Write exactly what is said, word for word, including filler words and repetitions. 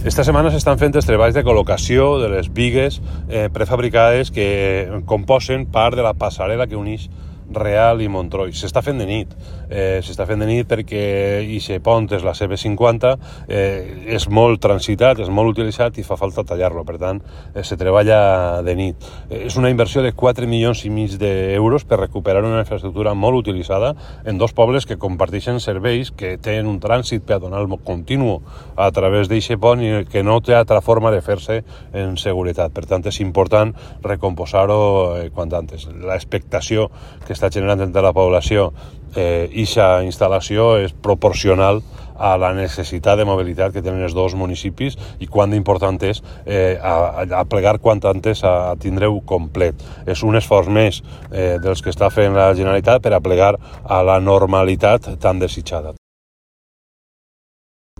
Esta setmana s'estan fent els treballs de col·locació de les bigues eh, prefabricades que composen part de la passarel·la que uneix Real i Montroi. S'està fent de nit. Eh, s'està fent de nit perquè ixe pont és la C B cinquanta, eh, és molt transitat, és molt utilitzat i fa falta tallar-lo. Per tant, eh, se treballa de nit. Eh, és una inversió de quatre milions i mig d'euros per recuperar una infraestructura molt utilitzada en dos pobles que comparteixen serveis, que tenen un trànsit peatonal continu a través d'eixe pont i que no té altra forma de fer-se en seguretat. Per tant, és important recomposar-ho eh, quant antes. L'expectació que està generant entre la població eh, ixa instal·lació és proporcional a la necessitat de mobilitat que tenen els dos municipis i quant d'important és eh, a, a plegar quant antes a, a tindre-ho complet. És un esforç més eh, dels que està fent la Generalitat per a plegar a la normalitat tan desitjada.